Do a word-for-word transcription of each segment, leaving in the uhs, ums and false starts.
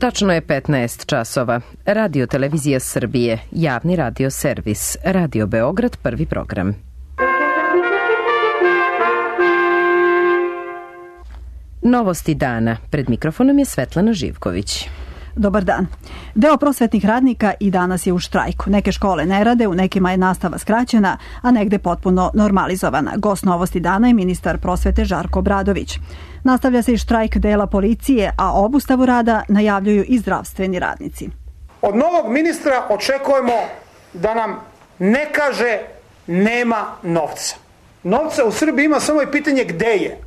Tačno je petnaest časova. Radio Televizija Srbije, javni radio servis, Radio Beograd, prvi program. Novosti dana. Pred mikrofonom je Svetlana Živković. Dobar dan. Deo prosvetnih radnika i danas je u štrajku. Neke škole ne rade, u nekima je nastava skraćena, a negde potpuno normalizovana. Gost Novosti dana je ministar prosvete Žarko Obradović. Nastavlja se i štrajk dela policije, a obustavu rada najavljuju i zdravstveni radnici. Od novog ministra očekujemo da nam ne kaže nema novca. Novca u Srbiji ima, samo je pitanje gde je.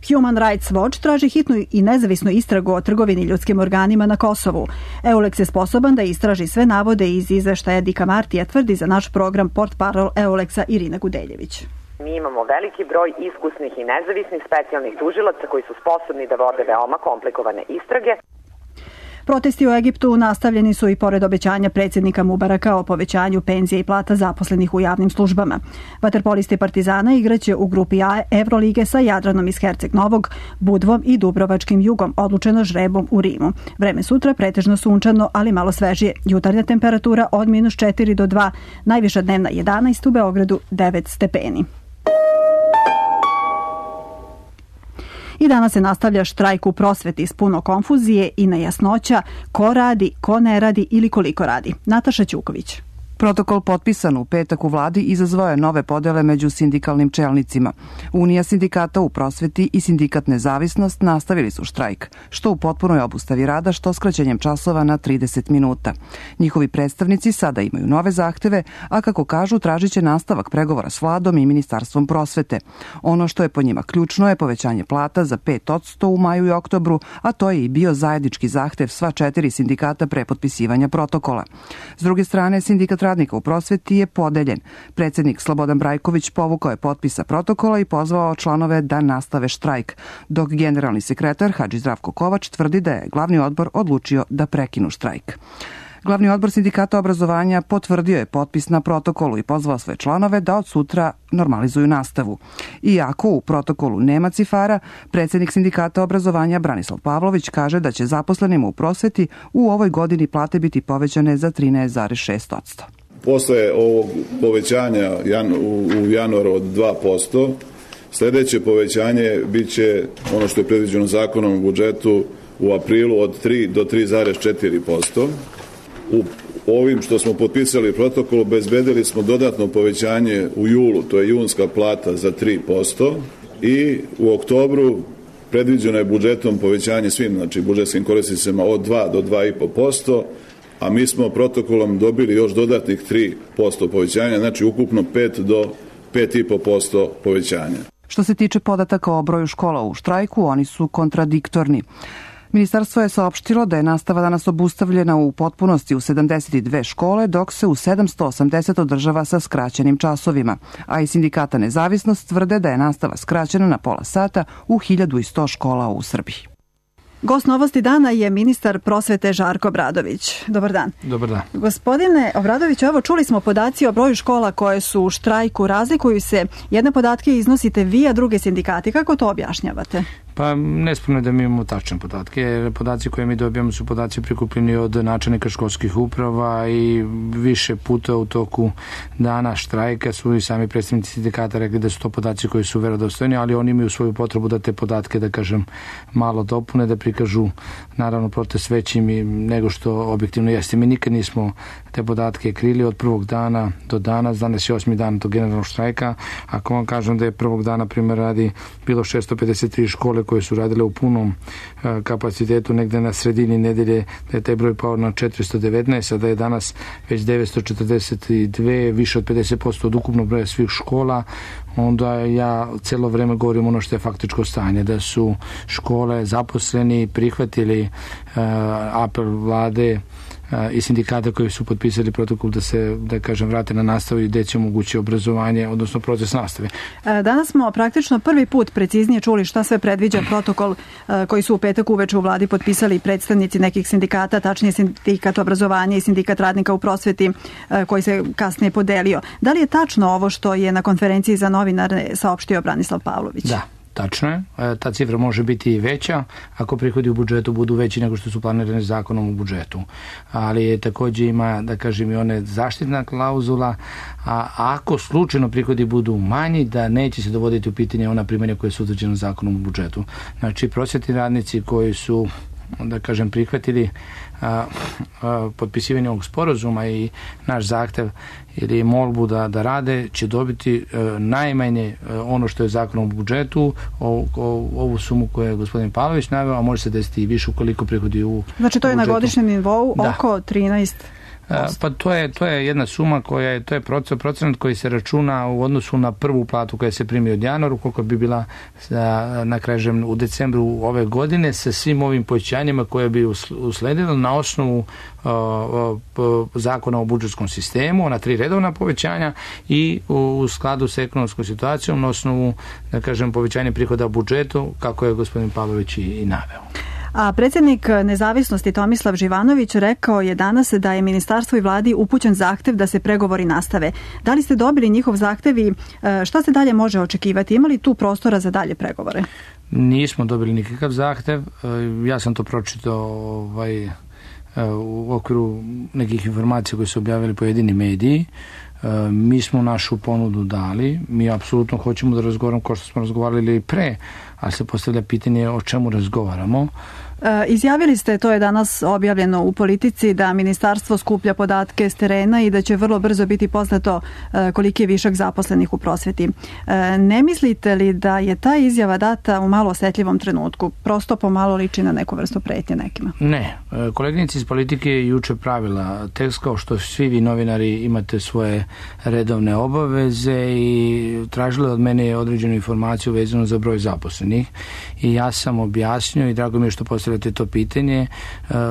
Human Rights Watch traži hitnu i nezavisnu istragu o trgovini ljudskim organima na Kosovu. Euleks je sposoban da istraži sve navode iz izveštaja Dika Martija, tvrdi za naš program portparol Euleksa Irina Gudeljević. Mi imamo veliki broj iskusnih i nezavisnih specijalnih tužilaca koji su sposobni da vode veoma komplikovane istrage. Protesti u Egiptu nastavljeni su i pored obećanja predsjednika Mubaraka o povećanju penzija i plata zaposlenih u javnim službama. Vaterpolisti Partizana igraće u grupi A Evrolige sa Jadranom iz Herceg Novog, Budvom i Dubrovačkim Jugom, odlučeno žrebom u Rimu. Vreme sutra pretežno sunčano, ali malo svežije. Jutarnja temperatura od minus četiri do dva, najviša dnevna jedanaest, u Beogradu devet stepeni. I danas se nastavlja štrajk u prosveti s puno konfuzije i nejasnoća ko radi, ko ne radi ili koliko radi. Nataša Ćuković. Protokol potpisan u petak u vladi izazvao je nove podele među sindikalnim čelnicima. Unija sindikata u prosveti i sindikat Nezavisnost nastavili su štrajk, što u potpunoj obustavi rada, što skraćenjem časova na trideset minuta. Njihovi predstavnici sada imaju nove zahteve, a kako kažu, tražit će nastavak pregovora s vladom i Ministarstvom prosvete. Ono što je po njima ključno je povećanje plata za pet posto u maju i oktobru, a to je i bio zajednički zahtev sva četiri sindikata pre potpisivanja protokola. S druge strane, sindikat radnika u prosveti je podeljen. Predsjednik Slobodan Brajković povukao je potpisa protokola i pozvao članove da nastave štrajk, dok generalni sekretar Hadži Zdravko Kovač tvrdi da je glavni odbor odlučio da prekinu štrajk. Glavni odbor sindikata obrazovanja potvrdio je potpis na protokolu i pozvao svoje članove da od sutra normalizuju nastavu. Iako u protokolu nema cifara, predsjednik sindikata obrazovanja Branislav Pavlović kaže da će zaposlenima u prosveti u ovoj godini plate biti povećane za trinaest zarez šest posto. Posle ovog povećanja u januaru od dva posto, sljedeće povećanje biće ono što je predviđeno zakonom o budžetu u aprilu od tri do tri zarez četiri posto. U ovim što smo potpisali protokol obezbedili smo dodatno povećanje u julu, to je junska plata za tri posto, i u oktobru predviđeno je budžetom povećanje svim, znači budžetskim korisnicima od dva do dva i po posto, a mi smo protokolom dobili još dodatnih tri posto povećanja, znači ukupno pet do pet i po posto povećanja. Što se tiče podataka o broju škola u štrajku, oni su kontradiktorni. Ministarstvo je saopštilo da je nastava danas obustavljena u potpunosti u sedamdeset dve škole, dok se u sedamsto osamdeset održava sa skraćenim časovima, a i sindikata Nezavisnost tvrde da je nastava skraćena na pola sata u hiljadu sto škola u Srbiji. Gost Novosti dana je ministar prosvete Žarko Obradović. Dobar dan. Dobar dan. Gospodine Obradović, evo čuli smo podaci o broju škola koje su u štrajku, razlikuju se. Jedne podatke iznosite vi, a druge sindikati. Kako to objašnjavate? Pa nesporno je da mi imamo tačne podatke. Podaci koje mi dobijamo su podaci prikupljeni od načelnika školskih uprava i više puta u toku dana štrajka su i sami predstavnici sindikata rekli da su to podaci koji su verodostojni, ali oni imaju svoju potrebu da te podatke, da kažem, malo dopune, da prikažu naravno protest većim nego što objektivno jeste. Mi nikad nismo te podatke krili od prvog dana do danas. Danas je osmi dan tog generalnog štrajka. Ako vam kažem da je prvog dana, primjer radi, bilo šesto pedeset tri škole koje su radile u punom kapacitetu, negde na sredini nedelje, da je taj broj pao na četiristo devetnaest, a da je danas već devetsto četrdeset dve, više od pedeset posto od ukupnog broja svih škola, onda ja celo vreme govorim ono što je faktičko stanje, da su škole zaposleni prihvatili uh, apel vlade i sindikata koji su potpisali protokol da se, da kažem, vrate na nastavu i gde će omogući obrazovanje, odnosno proces nastave. Danas smo praktično prvi put preciznije čuli šta sve predviđa protokol koji su u petak uveče u vladi potpisali predstavnici nekih sindikata, tačnije sindikat obrazovanja i sindikat radnika u prosveti koji se kasnije podelio. Da li je tačno ovo što je na konferenciji za novinare saopštio Branislav Pavlović? Da. tačno je, ta cifra može biti i veća ako prihodi u budžetu budu veći nego što su planirani zakonom u budžetu. Ali je takođe ima, da kažem, i one zaštitna klauzula, a ako slučajno prihodi budu manji, da neće se dovoditi u pitanje ona primanja koje su utvrđene zakonom u budžetu. Znači, prosvetni radnici koji su, da kažem, prihvatili a, a, potpisivanje ovog sporazuma i naš zahtev ili molbu da, da rade, će dobiti a, najmanje a, ono što je zakonom u budžetu, o, o, ovu sumu koju je gospodin Pavlović naveo, a može se desiti i više ukoliko prihodi u Znači to je budžetu na godišnjem nivou da. oko trinaest posto. Pa to je, to je jedna suma koja je, to je procenat koji se računa u odnosu na prvu platu koja se primi od januara, koliko bi bila na kažem u decembru ove godine sa svim ovim povećanjima koje bi usledilo na osnovu uh, uh, zakona o budžetskom sistemu, ona tri redovna povećanja i u, u skladu sa ekonomskom situacijom na osnovu, da kažem, povećanja prihoda u budžetu, kako je gospodin Pavlović i, i naveo. A predsjednik Nezavisnosti Tomislav Živanović rekao je danas da je ministarstvo i vladi upućen zahtev da se pregovori nastave. Da li ste dobili njihov zahtev i šta se dalje može očekivati? Ima li tu prostora za dalje pregovore? Nismo dobili nikakav zahtev. Ja sam to pročitao ovaj, u okviru nekih informacija koje su objavili pojedini mediji. Mi smo našu ponudu dali, mi apsolutno hoćemo da razgovaramo kao što smo razgovarali i pre, ali se postavlja pitanje o čemu razgovaramo. E, izjavili ste, to je danas objavljeno u Politici, da ministarstvo skuplja podatke s terena i da će vrlo brzo biti poznato e, koliki je višak zaposlenih u prosveti. E, ne mislite li da je ta izjava data u malo osetljivom trenutku? Prosto pomalo liči na neku vrstu pretnje nekima. Ne. Koleginica iz Politike je juče pravila tekst kao što svi vi novinari imate svoje redovne obaveze i tražila od mene određenu informaciju vezanu za broj zaposlenih i ja sam objasnio i drago mi je što postavljate to pitanje.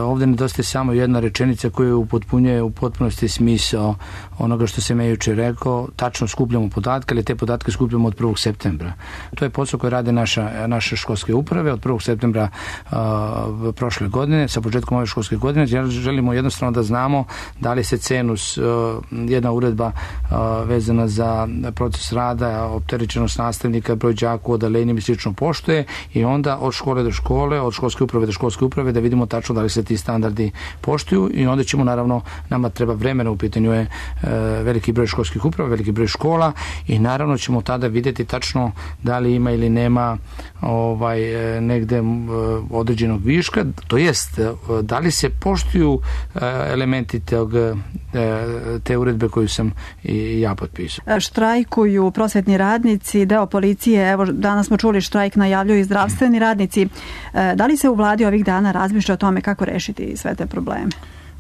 Ovde nedostaje samo jedna rečenica koja upotpunjuje u potpunosti smisao onoga što sam ja juče rekao. Tačno skupljamo podatke, ali te podatke skupljamo od prvog septembra. To je posao koji rade naša, naše školske uprave od prvog septembra uh, prošle godine, sa početkom ove školske godine. Želimo jednostavno da znamo da li se cenus, uh, jedna uredba uh, vezana za proces rada, opterećenost nastavnika, broj đaka u odeljenjima i slično poštuje i onda od škole do škole, od školske uprave do školske uprave da vidimo tačno da li se ti standardi poštuju i onda ćemo naravno, nama treba vremena, u pitanju je uh, veliki broj školskih uprava, veliki broj škola i naravno ćemo tada vidjeti tačno da li ima ili nema ovaj, negde određenog viška, to jest da li se poštuju elementi tog, te uredbe koju sam i ja potpisao. Štrajkuju prosvetni radnici, deo policije, evo danas smo čuli štrajk najavljuju i zdravstveni radnici. Da li se u vladi ovih dana razmišlja o tome kako rešiti sve te probleme?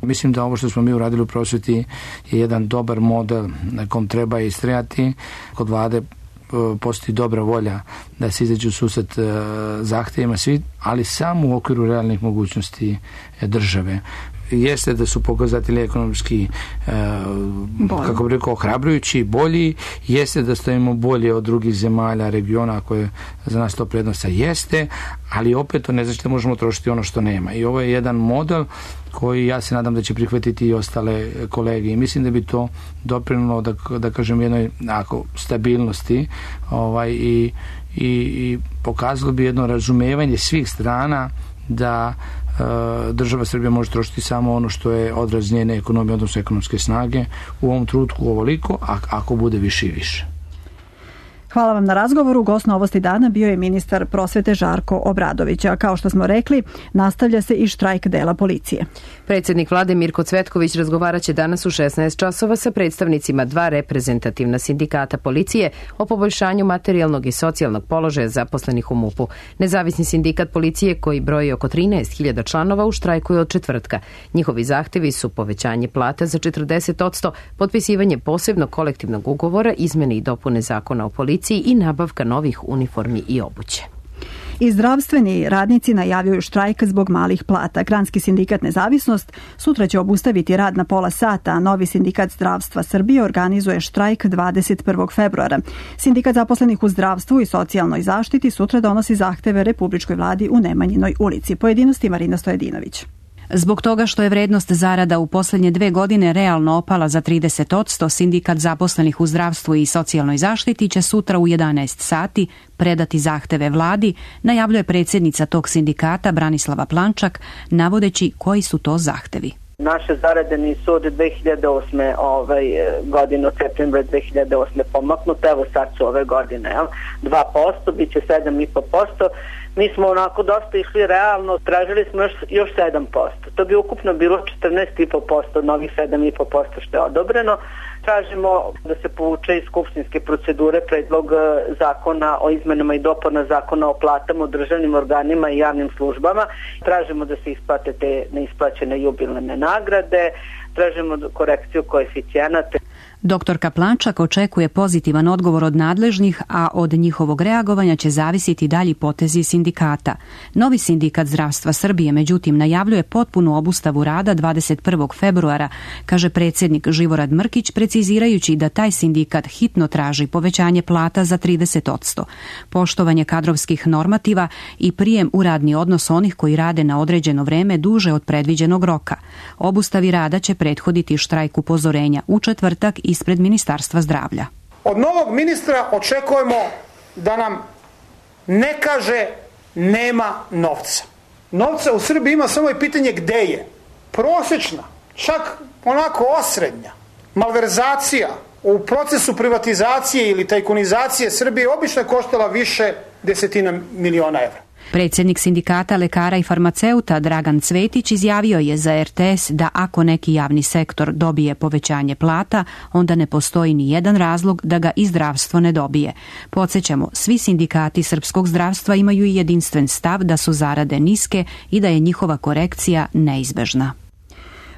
Mislim da ovo što smo mi uradili u prosveti je jedan dobar model na kom treba istrajati. Kod vlade postoji dobra volja da se izađe u susret zahtevima svi, ali samo u okviru realnih mogućnosti države. Jeste da su pokazatelji ekonomski e, kako bih rekao ohrabrujući, bolji, jeste da stojimo bolje od drugih zemalja, regiona koje za nas to prednosa jeste, ali opet to ne znači da možemo trošiti ono što nema. I ovo je jedan model koji ja se nadam da će prihvatiti i ostale kolege i mislim da bi to doprinelo da, da kažem jednoj ako, stabilnosti ovaj, i, i, i pokazalo bi jedno razumevanje svih strana da država Srbija može trošiti samo ono što je odraz njene ekonomije, odnosno ekonomske snage u ovom trenutku ovoliko, a ako bude više i više. Hvala vam na razgovoru. Gost Novosti dana bio je ministar prosvete Žarko Obradović. A kao što smo rekli, nastavlja se i štrajk dela policije. Predsjednik vlade Mirko Cvetković razgovaraće danas u šesnaest časova sa predstavnicima dva reprezentativna sindikata policije o poboljšanju materijalnog i socijalnog položaja zaposlenih u MUP-u. Nezavisni sindikat policije, koji broji oko trinaest hiljada članova, u štrajku je od četvrtka. Njihovi zahtevi su povećanje plata za četrdeset posto, potpisivanje posebnog kolektivnog ugovora, izmene i dopune zakona o policiji i nabavka novih uniformi i obuće. I zdravstveni radnici najavljuju štrajk zbog malih plata. Granski sindikat Nezavisnost sutra će obustaviti rad na pola sata, a novi sindikat zdravstva Srbije organizuje štrajk dvadeset prvog februara. Sindikat zaposlenih u zdravstvu i socijalnoj zaštiti sutra donosi zahteve Republičkoj vladi u Nemanjinoj ulici. Pojedinosti Marina Stojedinović. Zbog toga što je vrednost zarada u posljednje dve godine realno opala za trideset posto, sindikat zaposlenih u zdravstvu i socijalnoj zaštiti će sutra u jedanaest sati predati zahteve vladi, najavljuje predsjednica tog sindikata Branislava Plančak, navodeći koji su to zahtevi. Naše zarade nisu od dve hiljade osme ovaj, godine, od septembra dve hiljade osme pomaknute, evo sad su ove godine, jel? dva posto, bit će sedam i po posto. Mi smo onako dosta išli realno, tražili smo još, još sedam posto. To bi ukupno bilo četrnaest i po posto, novih sedam i po posto što je odobreno. Tražimo da se povuče iz skupštinske procedure predlog zakona o izmenama i dopuna zakona o platama u državnim organima i javnim službama. Tražimo da se isplate te neisplaćene jubilarne nagrade, tražimo korekciju koeficijenata. Doktorka Plančak očekuje pozitivan odgovor od nadležnih, a od njihovog reagovanja će zavisiti dalji potezi sindikata. Novi sindikat zdravstva Srbije, međutim, najavljuje potpunu obustavu rada dvadeset prvog februara, kaže predsjednik Živorad Mrkić, precizirajući da taj sindikat hitno traži povećanje plata za trideset posto, poštovanje kadrovskih normativa i prijem u radni odnos onih koji rade na određeno vreme duže od predviđenog roka. Obustavi rada će prethoditi štrajk upozorenja u četvrtak ispred Ministarstva zdravlja. Od novog ministra očekujemo da nam ne kaže nema novca. Novca u Srbiji ima, samo je pitanje gde je. Prosječna, čak onako osrednja malverzacija u procesu privatizacije ili tajkunizacije Srbije obično je koštala više desetina miliona evra. Predsjednik sindikata lekara i farmaceuta Dragan Cvetić izjavio je za er te es da ako neki javni sektor dobije povećanje plata, onda ne postoji ni jedan razlog da ga i zdravstvo ne dobije. Podsjećamo, svi sindikati srpskog zdravstva imaju i jedinstven stav da su zarade niske i da je njihova korekcija neizbežna.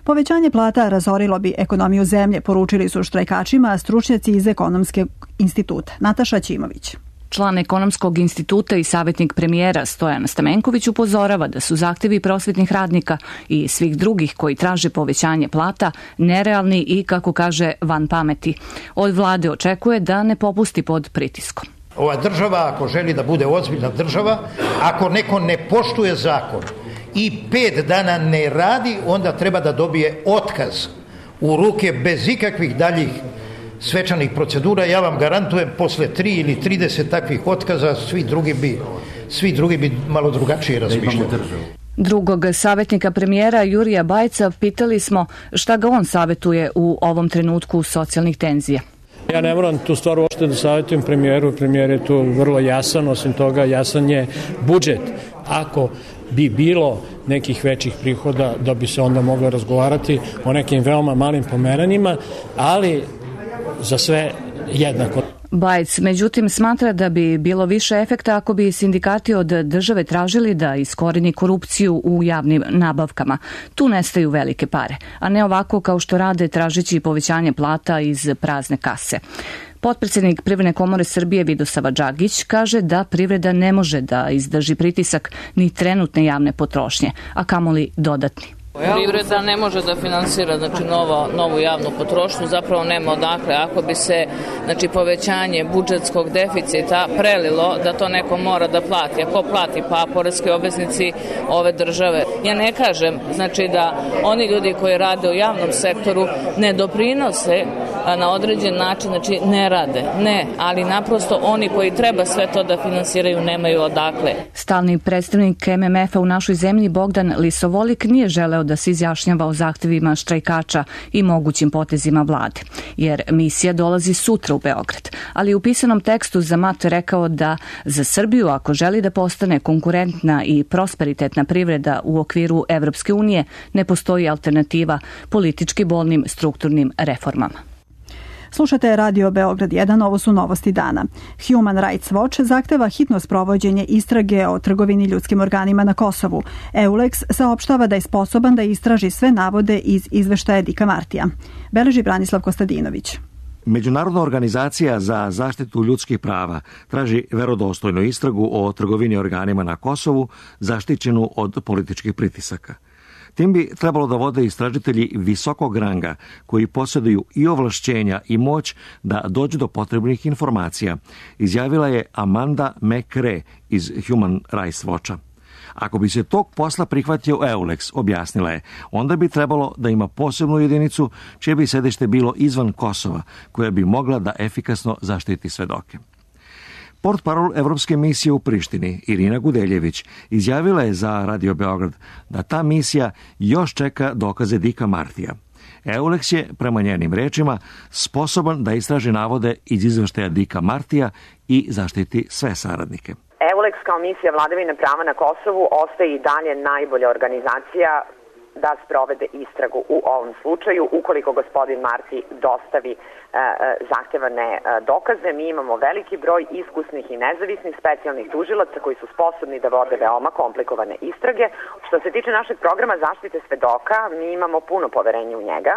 Povećanje plata razorilo bi ekonomiju zemlje, poručili su štrajkačima stručnjaci iz Ekonomskog instituta. Nataša Ćimović. Član Ekonomskog instituta i savjetnik premijera Stojan Stamenković upozorava da su zahtjevi prosvetnih radnika i svih drugih koji traže povećanje plata nerealni i, kako kaže, van pameti. Od vlade očekuje da ne popusti pod pritiskom. Ova država, ako želi da bude ozbiljna država, ako neko ne poštuje zakon i pet dana ne radi, onda treba da dobije otkaz u ruke bez ikakvih daljih svečanih procedura. Ja vam garantujem, posle tri ili trideset takvih otkaza svi drugi bi, svi drugi bi malo drugačije razmišljali. Drugog savjetnika premijera Jurija Bajca pitali smo šta ga on savjetuje u ovom trenutku socijalnih tenzija. Ja ne moram tu stvar uopšte da savjetujem premijeru, premijer je tu vrlo jasan, osim toga jasan je budžet. Ako bi bilo nekih većih prihoda, da bi se onda moglo razgovarati o nekim veoma malim pomeranjima, ali za sve jednako. Bajc, međutim, smatra da bi bilo više efekta ako bi sindikati od države tražili da iskoreni korupciju u javnim nabavkama. Tu nestaju velike pare, a ne ovako kao što rade tražeći povećanje plata iz prazne kase. Potpredsjednik Privredne komore Srbije Vidosava Đagić kaže da privreda ne može da izdrži pritisak ni trenutne javne potrošnje, a kamoli dodatni. Privreda ne može da finansira znači, novo, novu javnu potrošnju, zapravo nema odakle. Ako bi se znači, povećanje budžetskog deficita prelilo da to neko mora da plati. Ako plati? Pa poreski obveznici ove države. Ja ne kažem znači, da oni ljudi koji rade u javnom sektoru ne doprinose na određen način, znači ne rade. Ne, ali naprosto oni koji treba sve to da finansiraju nemaju odakle. Stalni predstavnik em em efa u našoj zemlji Bogdan Lisovolik nije želeo da se izjašnjava o zahtevima štrajkača i mogućim potezima vlade, jer misija dolazi sutra u Beograd. Ali u pisanom tekstu za M A T rekao da za Srbiju, ako želi da postane konkurentna i prosperitetna privreda u okviru Evropske unije, ne postoji alternativa politički bolnim strukturnim reformama. Slušate Radio Beograd jedan, ovo su novosti dana. Human Rights Watch zahteva hitno sprovođenje istrage o trgovini ljudskim organima na Kosovu. EULEX saopštava da je sposoban da istraži sve navode iz izveštaja Dika Martija. Beleži Branislav Kostadinović. Međunarodna organizacija za zaštitu ljudskih prava traži verodostojnu istragu o trgovini organima na Kosovu zaštićenu od političkih pritisaka. Tim bi trebalo da vode istražitelji visokog ranga koji posjeduju i ovlašćenja i moć da dođu do potrebnih informacija, izjavila je Amanda McRae iz Human Rights Watcha. Ako bi se tog posla prihvatio Eulex, objasnila je, onda bi trebalo da ima posebnu jedinicu čije bi sedište bilo izvan Kosova, koja bi mogla da efikasno zaštiti svedoke. Portparol Evropske misije u Prištini, Irina Gudeljević, izjavila je za Radio Beograd da ta misija još čeka dokaze Dika Martija. Eulex je, prema njenim rečima, sposoban da istraži navode iz izveštaja Dika Martija i zaštiti sve saradnike. Eulex kao misija vladavine prava na Kosovu ostaje i dalje najbolja organizacija da sprovede istragu u ovom slučaju, ukoliko gospodin Marti dostavi e, zahtevane e, dokaze. Mi imamo veliki broj iskusnih i nezavisnih specijalnih tužilaca koji su sposobni da vode veoma komplikovane istrage. Što se tiče našeg programa zaštite svedoka, mi imamo puno poverenja u njega.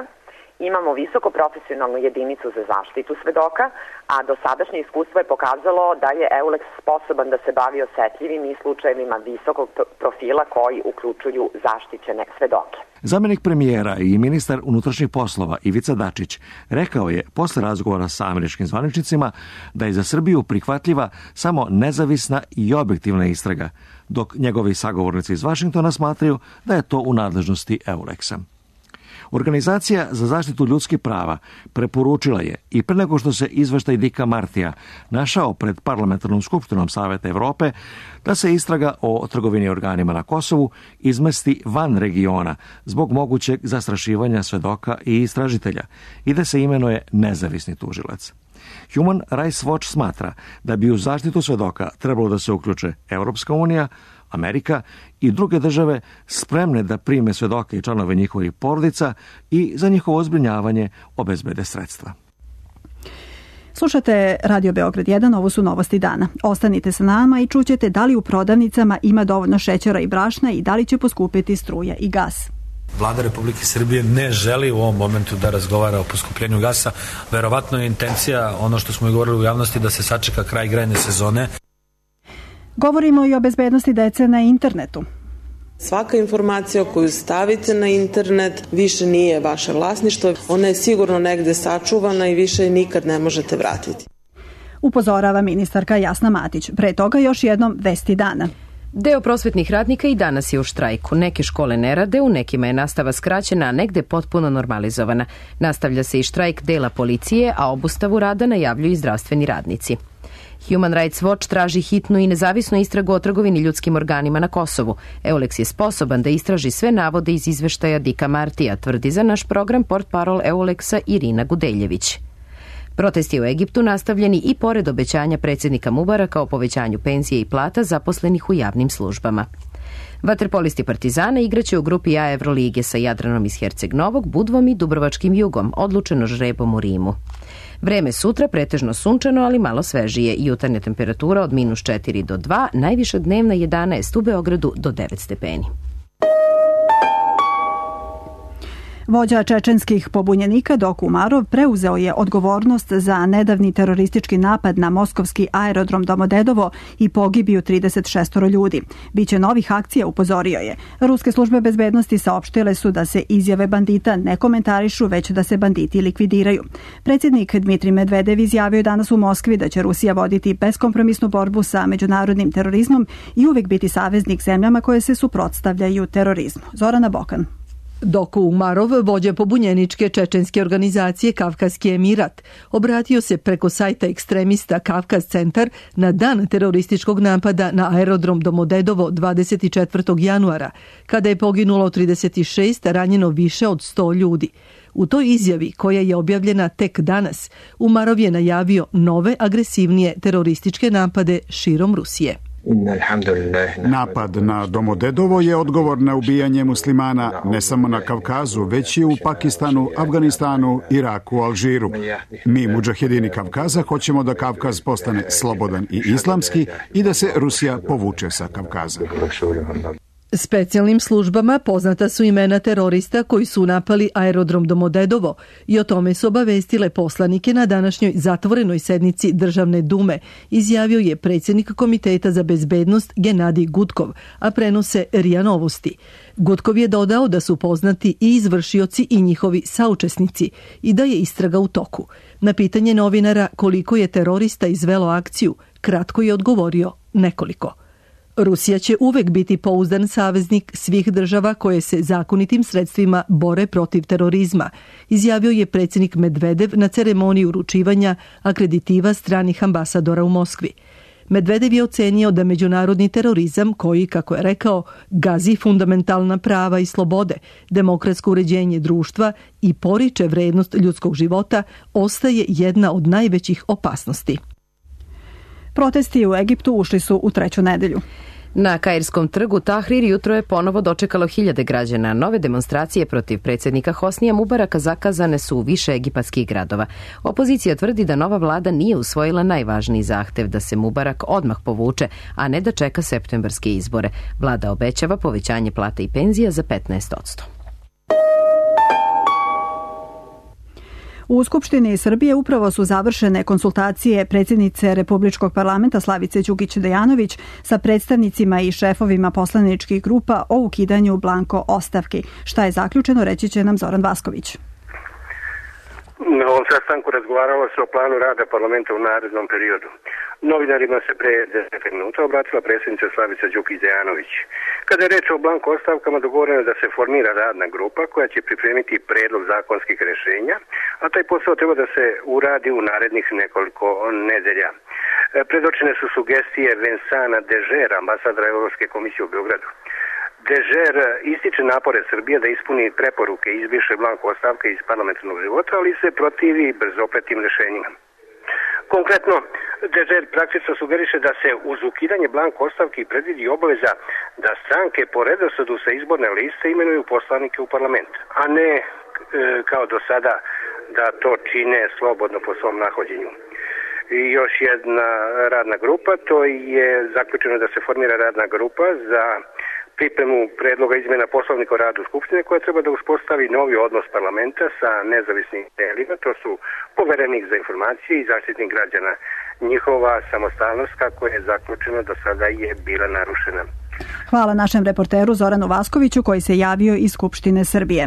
Imamo visoko profesionalnu jedinicu za zaštitu svedoka, a dosadašnje iskustvo je pokazalo da je Eulex sposoban da se bavi osetljivim i slučajevima visokog profila koji uključuju zaštićene svedoke. Zamenik premijera i ministar unutrašnjih poslova Ivica Dačić rekao je posle razgovora sa američkim zvaničnicima da je za Srbiju prihvatljiva samo nezavisna i objektivna istraga, dok njegovi sagovornici iz Vašingtona smatraju da je to u nadležnosti Eulexa. Organizacija za zaštitu ljudskih prava preporučila je i pre nego što se izveštaj Dika Martija našao pred Parlamentarnom skupštinom Saveta Evrope da se istraga o trgovini organima na Kosovu izmesti van regiona zbog mogućeg zastrašivanja svedoka i istražitelja i da se imenuje nezavisni tužilac. Human Rights Watch smatra da bi u zaštitu svedoka trebalo da se uključe Evropska unija, Amerika i druge države spremne da prime svedoke i članove njihovih porodica i za njihovo zbrinjavanje obezbede sredstva. Slušate Radio Beograd jedan, ovo su novosti dana. Ostanite sa nama i čućete da li u prodavnicama ima dovoljno šećera i brašna i da li će poskupiti struja i gas. Vlada Republike Srbije ne želi u ovom momentu da razgovara o poskupljenju gasa. Verovatno je intencija, ono što smo i govorili u javnosti, da se sačeka kraj grejne sezone. Govorimo i o bezbednosti dece na internetu. Svaka informacija koju stavite na internet više nije vaše vlasništvo. Ona je sigurno negde sačuvana i više je nikad ne možete vratiti. Upozorava ministarka Jasna Matić. Pre toga još jednom vesti dana. Deo prosvetnih radnika i danas je u štrajku. Neke škole ne rade, u nekima je nastava skraćena, a negde potpuno normalizovana. Nastavlja se i štrajk dela policije, a obustavu rada najavljuju i zdravstveni radnici. Human Rights Watch traži hitnu i nezavisnu istragu o trgovini ljudskim organima na Kosovu. Eulex je sposoban da istraži sve navode iz izveštaja Dika Martija, tvrdi za naš program portparol Eulexa Irina Gudeljević. Protesti u Egiptu nastavljeni i pored obećanja predsjednika Mubaraka o povećanju penzije i plata zaposlenih u javnim službama. Vaterpolisti Partizana igraće u grupi A Evrolige sa Jadranom iz Herceg Novog, Budvom i Dubrovačkim Jugom, odlučeno žrebom u Rimu. Vreme sutra pretežno sunčano, ali malo svežije. Jutarnja temperatura od minus četiri do dva, najviša dnevna jedanaest u Beogradu do devet stepeni. Vođa čečenskih pobunjenika Doku Umarov preuzeo je odgovornost za nedavni teroristički napad na moskovski aerodrom Domodedovo i pogibiju trideset šest ljudi. Biće novih akcija, upozorio je. Ruske službe bezbednosti saopštile su da se izjave bandita ne komentarišu, već da se banditi likvidiraju. Predsjednik Dmitrij Medvedev izjavio je danas u Moskvi da će Rusija voditi beskompromisnu borbu sa međunarodnim terorizmom i uvijek biti saveznik zemljama koje se suprotstavljaju terorizmu. Zorana Bokan. Doku Umarov, vođa pobunjeničke čečenske organizacije Kavkazski Emirat, obratio se preko sajta ekstremista Kavkaz centar na dan terorističkog napada na aerodrom Domodedovo dvadeset četvrtog januara, kada je poginulo trideset šest, ranjeno više od sto ljudi. U toj izjavi, koja je objavljena tek danas, Umarov je najavio nove agresivnije terorističke napade širom Rusije. Napad na Domodedovo je odgovor na ubijanje muslimana ne samo na Kavkazu, već i u Pakistanu, Afganistanu, Iraku, Alžiru. Mi, mudžahedini Kavkaza, hoćemo da Kavkaz postane slobodan i islamski i da se Rusija povuče sa Kavkaza. Specijalnim službama poznata su imena terorista koji su napali aerodrom Domodedovo i o tome su obavestile poslanike na današnjoj zatvorenoj sednici Državne dume, izjavio je predsjednik Komiteta za bezbednost Genadij Gutkov, a prenose RIA Novosti. Gutkov je dodao da su poznati i izvršioci i njihovi saučesnici i da je istraga u toku. Na pitanje novinara koliko je terorista izvelo akciju, kratko je odgovorio nekoliko. Rusija će uvek biti pouzdan saveznik svih država koje se zakonitim sredstvima bore protiv terorizma, izjavio je predsjednik Medvedev na ceremoniji uručivanja akreditiva stranih ambasadora u Moskvi. Medvedev je ocenio da međunarodni terorizam koji, kako je rekao, gazi fundamentalna prava i slobode, demokratsko uređenje društva i poriče vrednost ljudskog života, ostaje jedna od najvećih opasnosti. Protesti u Egiptu ušli su u treću nedelju. Na Kairskom trgu Tahrir jutro je ponovo dočekalo hiljade građana. Nove demonstracije protiv predsjednika Hosnija Mubaraka zakazane su u više egipatskih gradova. Opozicija tvrdi da nova vlada nije usvojila najvažniji zahtev da se Mubarak odmah povuče, a ne da čeka septembarske izbore. Vlada obećava povećanje plata i penzija za petnaest posto. U Skupštini Srbije upravo su završene konsultacije predsjednice Republičkog parlamenta Slavice Đukić Dejanović sa predstavnicima i šefovima poslaničkih grupa o ukidanju blanko ostavki. Šta je zaključeno, reći će nam Zoran Vasković. Na ovom sastanku razgovaralo se o planu rada parlamenta u narednom periodu. Novinarima se pre deset minuta obratila predsjednica Slavica Đukić-Dejanović. Kada je reč o blanko ostavkama, dogovoreno je da se formira radna grupa koja će pripremiti predlog zakonskih rješenja, a taj posao treba da se uradi u narednih nekoliko nedelja. Predočene su sugestije Vincenta Dežera, ambasadora Evropske komisije u Beogradu. Dežer ističe napore Srbije da ispuni preporuke i izbriše blanko ostavke iz parlamentarnog života, ali se protivi brzopetim rješenjima. Konkretno, Dežer praktično sugeriše da se uz ukidanje blanko ostavki predvidi obaveza da stranke po redosledu sa izborne liste imenuju poslanike u parlament, a ne e, kao do sada da to čine slobodno po svom nahođenju. I još jedna radna grupa, to je zaključeno da se formira radna grupa za pripremu predloga izmjena poslovnika o radu Skupštine koja treba da uspostavi novi odnos parlamenta sa nezavisnim telima, to su poverenik za informacije i zaštitnik građana. Njihova samostalnost, kako je zaključeno, do sada je bila narušena. Hvala našem reporteru Zoranu Vaskoviću koji se javio iz Skupštine Srbije.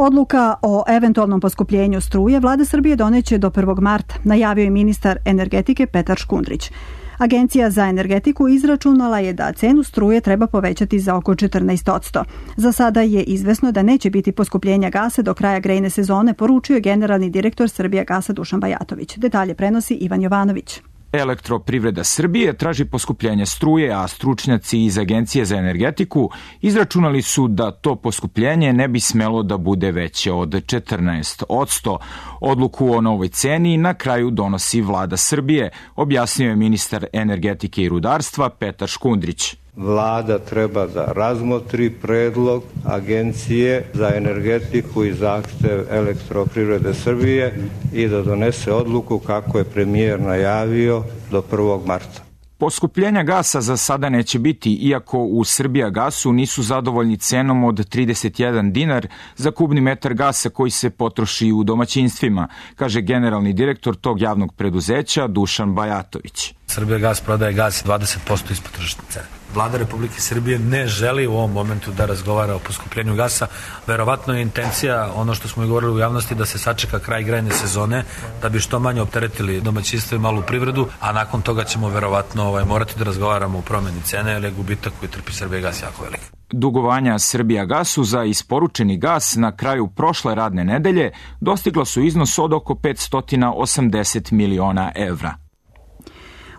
Odluka o eventualnom poskupljenju struje Vlada Srbije doneće do prvog marta, najavio je ministar energetike Petar Škundrić. Agencija za energetiku izračunala je da cenu struje treba povećati za oko četrnaest posto. Za sada je izvesno da neće biti poskupljenja gasa do kraja grejne sezone, poručio je generalni direktor Srbijagasa Dušan Bajatović. Detalje prenosi Ivan Jovanović. Elektroprivreda Srbije traži poskupljenje struje, a stručnjaci iz Agencije za energetiku izračunali su da to poskupljenje ne bi smelo da bude veće od četrnaest posto. Odluku o novoj ceni na kraju donosi Vlada Srbije, objasnio je ministar energetike i rudarstva Petar Škundrić. Vlada treba da razmotri predlog Agencije za energetiku i zahtev Elektroprivrede Srbije i da donese odluku kako je premijer najavio do prvog marta. Poskupljenja gasa za sada neće biti, iako u Srbijagasu nisu zadovoljni cenom od trideset jedan dinar za kubni metar gasa koji se potroši u domaćinstvima, kaže generalni direktor tog javnog preduzeća Dušan Bajatović. Srbijagas prodaje gas dvadeset posto ispod tržišne cene. Vlada Republike Srbije ne želi u ovom momentu da razgovara o poskupljenju gasa. Verovatno je intencija, ono što smo i govorili u javnosti, da se sačeka kraj grejne sezone, da bi što manje opteretili domaćinstvo i malu privredu, a nakon toga ćemo verovatno ovaj, morati da razgovaramo o promjeni cene, jer je gubitak koji trpi Srbijagas jako velik. Dugovanja Srbijagasu za isporučeni gas na kraju prošle radne nedelje dostigla su iznos od oko petsto osamdeset miliona evra.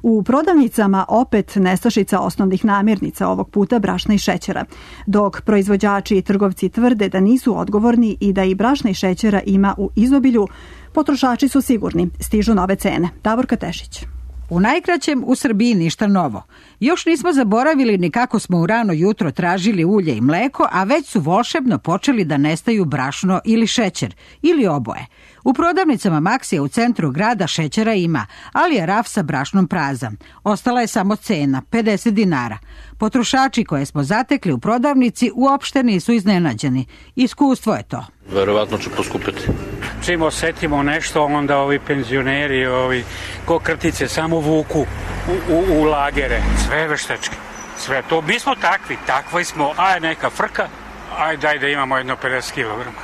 U prodavnicama opet nestašica osnovnih namirnica, ovog puta brašna i šećera. Dok proizvođači i trgovci tvrde da nisu odgovorni i da i brašna i šećera ima u izobilju, potrošači su sigurni, stižu nove cene. Davorka Tešić. U najkraćem, u Srbiji ništa novo. Još nismo zaboravili ni kako smo u rano jutro tražili ulje i mleko, a već su volšebno počeli da nestaju brašno ili šećer, ili oboje. U prodavnicama Maksija u centru grada šećera ima, ali je raf sa brašnom prazan. Ostala je samo cena, pedeset dinara. Potrošači koje smo zatekli u prodavnici uopšte nisu iznenađeni. Iskustvo je to. Verovatno će poskupiti. Čim osetimo nešto, onda ovi penzioneri, ovi ko krtice, samo vuku u, u, u lagere. Sve veštečki. Sve to. Mi smo takvi, takvi smo. Aj neka frka, aj daj da imamo jedno pedeset kilograma.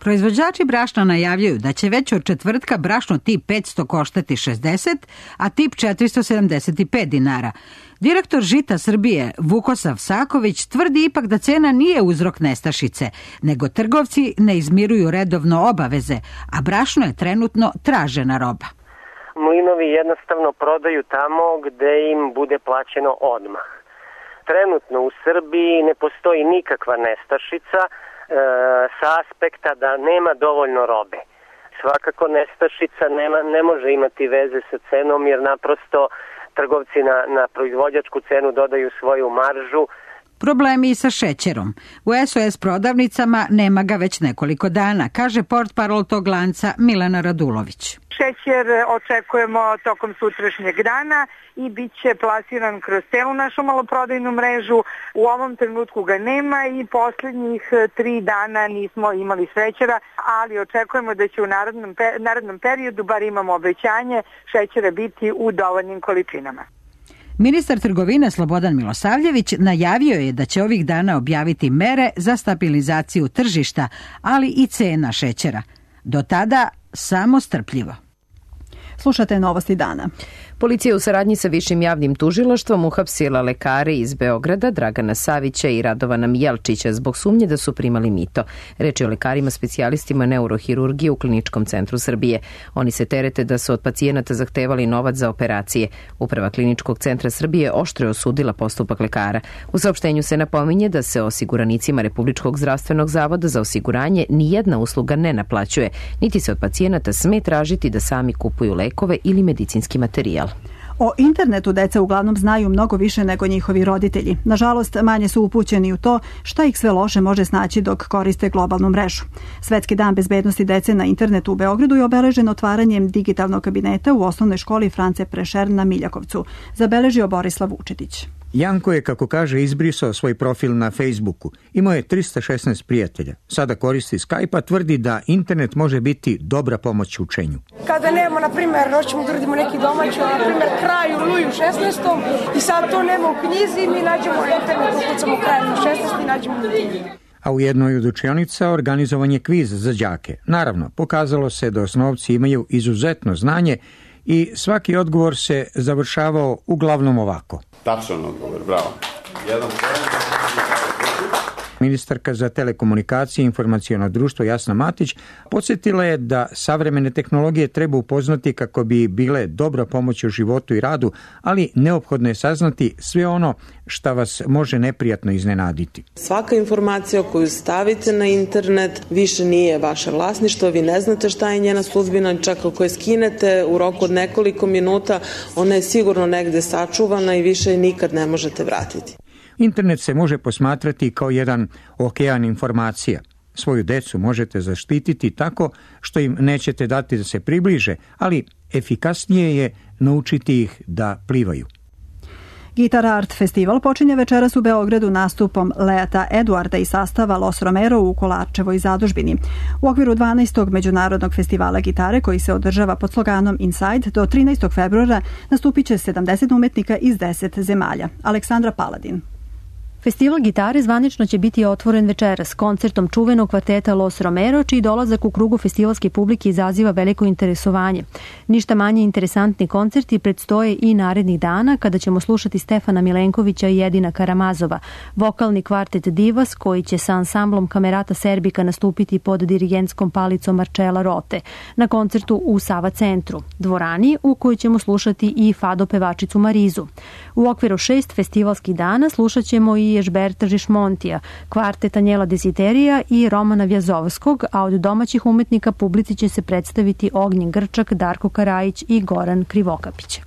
Proizvođači brašna najavljaju da će već od četvrtka brašno tip petsto koštati šezdeset, a tip četiristo sedamdeset pet dinara. Direktor Žita Srbije Vukosav Saković tvrdi ipak da cena nije uzrok nestašice, nego trgovci ne izmiruju redovno obaveze, a brašno je trenutno tražena roba. Mlinovi jednostavno prodaju tamo gde im bude plaćeno odmah. Trenutno u Srbiji ne postoji nikakva nestašica e, sa aspekta da nema dovoljno robe. Svakako nestašica nema, ne može imati veze sa cenom jer naprosto trgovci na, na proizvođačku cenu dodaju svoju maržu. Problemi i sa šećerom. U S O S prodavnicama nema ga već nekoliko dana, kaže portparol tog lanca Milena Radulović. Šećer očekujemo tokom sutrašnjeg dana i bit će plasiran kroz celu našu maloprodajnu mrežu. U ovom trenutku ga nema i posljednjih tri dana nismo imali šećera, ali očekujemo da će u narednom, narednom periodu, bar imamo obećanje, šećera biti u dovoljnim količinama. Ministar trgovine Slobodan Milosavljević najavio je da će ovih dana objaviti mere za stabilizaciju tržišta, ali i cena šećera. Do tada samo strpljivo. Slušate Novosti dana. Policija u saradnji sa Višim javnim tužilaštvom uhapsila lekare iz Beograda Dragana Savića i Radovana Mijelčića zbog sumnje da su primali mito. Reč je o lekarima specijalistima neurohirurgije u Kliničkom centru Srbije. Oni se terete da su od pacijenata zahtevali novac za operacije. Uprava Kliničkog centra Srbije oštro je osudila postupak lekara. U saopštenju se napominje da se osiguranicima Republičkog zdravstvenog zavoda za osiguranje nijedna usluga ne naplaćuje, niti se od pacijenata sme tražiti da sami kupuju lekove ili medicinski materijal. O internetu deca uglavnom znaju mnogo više nego njihovi roditelji. Nažalost, manje su upućeni u to šta ih sve loše može snaći dok koriste globalnu mrežu. Svetski dan bezbednosti dece na internetu u Beogradu je obeležen otvaranjem digitalnog kabineta u osnovnoj školi France Prešern na Miljakovcu, zabeležio Borislav Vučetić. Janko je, kako kaže, izbrisao svoj profil na Facebooku. Imao je trista šesnaest prijatelja. Sada koristi Skype-a, tvrdi da internet može biti dobra pomoć u učenju. Kada nemamo, na primjer, hoćemo da uradimo neki domaći, na primjer, kraj u Luju šesnaestom i sad to nema u knjizi, mi nađemo internet, ukucamo kraj u šesnaestom i nađemo u knjizi. A u jednoj od učionica organizovan je kviz za đake. Naravno, pokazalo se da osnovci imaju izuzetno znanje i svaki odgovor se završavao uglavnom ovako. Tačan odgovor, bravo. Jedan. Ministarka za telekomunikacije i informaciono društvo Jasna Matić podsjetila je da savremene tehnologije treba upoznati kako bi bile dobra pomoć u životu i radu, ali neophodno je saznati sve ono šta vas može neprijatno iznenaditi. Svaka informacija koju stavite na internet više nije vaše vlasništvo, vi ne znate šta je njena sudbina, čak ako je skinete u roku od nekoliko minuta, ona je sigurno negde sačuvana i više je nikad ne možete vratiti. Internet se može posmatrati kao jedan okean informacija. Svoju decu možete zaštititi tako što im nećete dati da se približe, ali efikasnije je naučiti ih da plivaju. Guitar Art festival počinje večeras u Beogradu nastupom Leata Eduarda i sastava Los Romero u Kolarčevoj zadužbini. U okviru dvanaestog međunarodnog festivala gitare koji se održava pod sloganom Inside do trinaestog februara nastupit će sedamdeset umetnika iz deset zemalja. Aleksandra Paladin. Festival gitare zvanično će biti otvoren večeras koncertom čuvenog kvarteta Los Romero, čiji dolazak u krugu festivalske publike izaziva veliko interesovanje. Ništa manje interesantni koncerti predstoje i narednih dana kada ćemo slušati Stefana Milenkovića i Edina Karamazova, vokalni kvartet Divas koji će sa ansamblom Kamerata Serbika nastupiti pod dirigentskom palicom Marcela Rote na koncertu u Sava centru, dvorani u kojoj ćemo slušati i fado pevačicu Marizu. U okviru šest festivalskih dana slušat ćemo i Ježberta Žišmontija, kvartet Anjela Desiterija i Romana Vjazovskog, a od domaćih umetnika publici će se predstaviti Ognjen Grčak, Darko Karajić i Goran Krivokapić.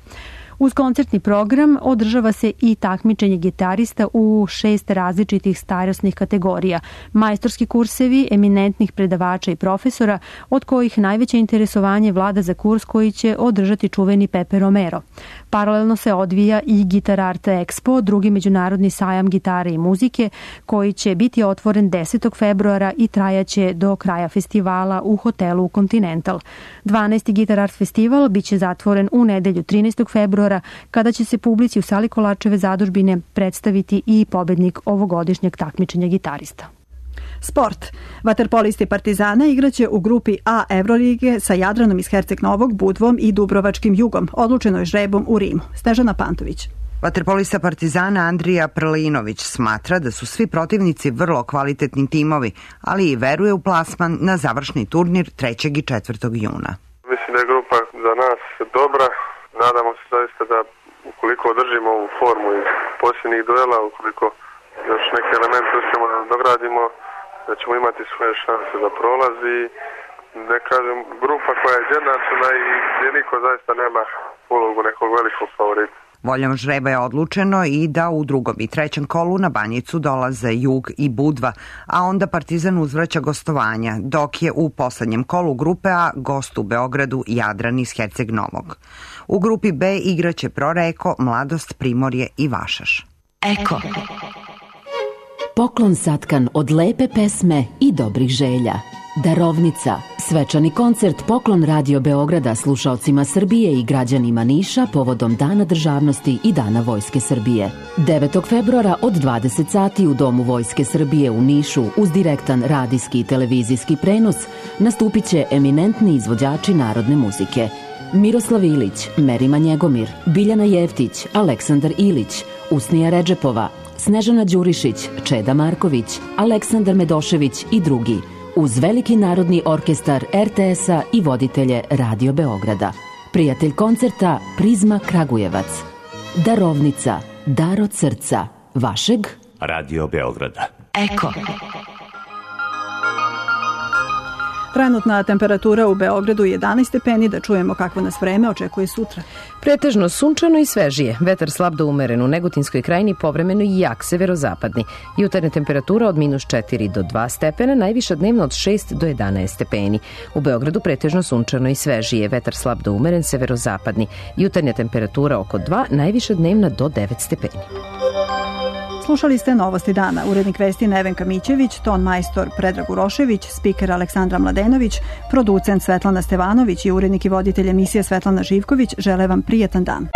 Uz koncertni program održava se i takmičenje gitarista u šest različitih starosnih kategorija, majstorski kursevi eminentnih predavača i profesora, od kojih najveće interesovanje vlada za kurs koji će održati čuveni Pepe Romero. Paralelno se odvija i Guitar Art Expo, drugi međunarodni sajam gitare i muzike, koji će biti otvoren desetog februara i trajaće do kraja festivala u hotelu Continental. dvanaesti Guitar Art festival biće zatvoren u nedelju trinaestog februara, kada će se publici u sali Kolarčeve zadužbine predstaviti i pobednik ovogodišnjeg takmičenja gitarista. Sport. Vaterpolisti Partizana igraće u grupi A Evrolige sa Jadranom iz Herceg Novog, Budvom i Dubrovačkim Jugom. Odlučeno je žrebom u Rimu. Snežana Pantović. Vaterpolista Partizana Andrija Prlinović smatra da su svi protivnici vrlo kvalitetni timovi, ali i veruje u plasman na završni turnir trećeg i četvrtog juna. Mislim da je grupa za nas dobra. Nadamo se zaista da ukoliko održimo ovu formu iz posljednjih duela, ukoliko još neke elemente uspijemo da dogradimo, da ćemo imati svoje šanse za prolaz i ne kažem, grupa koja je izjednačena i gdje niko zaista nema ulogu nekog velikog favorita. Voljom žreba je odlučeno i da u drugom i trećem kolu na Banjicu dolaze Jug i Budva, a onda Partizan uzvraća gostovanja, dok je u poslednjem kolu grupe A gost u Beogradu Jadran iz Herceg Novog. U grupi B igraće Proreko, Mladost, Primorje i Vašaš. Eko. Poklon satkan od lepe pesme i dobrih želja. Darovnica. Svečani koncert Poklon Radio Beograda slušaocima Srbije i građanima Niša povodom Dana državnosti i Dana Vojske Srbije. devetog februara od dvadeset sati u Domu Vojske Srbije u Nišu uz direktan radijski i televizijski prenos nastupit će eminentni izvođači narodne muzike. Miroslav Ilić, Merima Njegomir, Biljana Jeftić, Aleksandar Ilić, Usnija Redžepova, Snežana Đurišić, Čeda Marković, Aleksandar Medošević i drugi, uz veliki narodni orkestar er te es-a i voditelje Radio Beograda. Prijatelj koncerta Prizma Kragujevac. Darovnica, dar od srca, vašeg Radio Beograda. Eko. Trenutna temperatura u Beogradu je jedanaest stepeni, da čujemo kakvo nas vreme očekuje sutra. Pretežno sunčano i svežije, vetar slab do umeren, u Negotinskoj krajini povremeno i jak severozapadni. Jutarnja temperatura od minus četiri do dva stepena, najviša dnevno od šest do jedanaest stepeni. U Beogradu pretežno sunčano i svežije, vetar slab do umeren, severozapadni. Jutarnja temperatura oko dva, najviša dnevna do devet stepeni. Slušali ste Novosti dana. Urednik vesti Nevenka Mićević, ton majstor Predrag Urošević, spiker Aleksandra Mladenović, producent Svetlana Stevanović i urednik i voditelj emisije Svetlana Živković žele vam prijetan dan.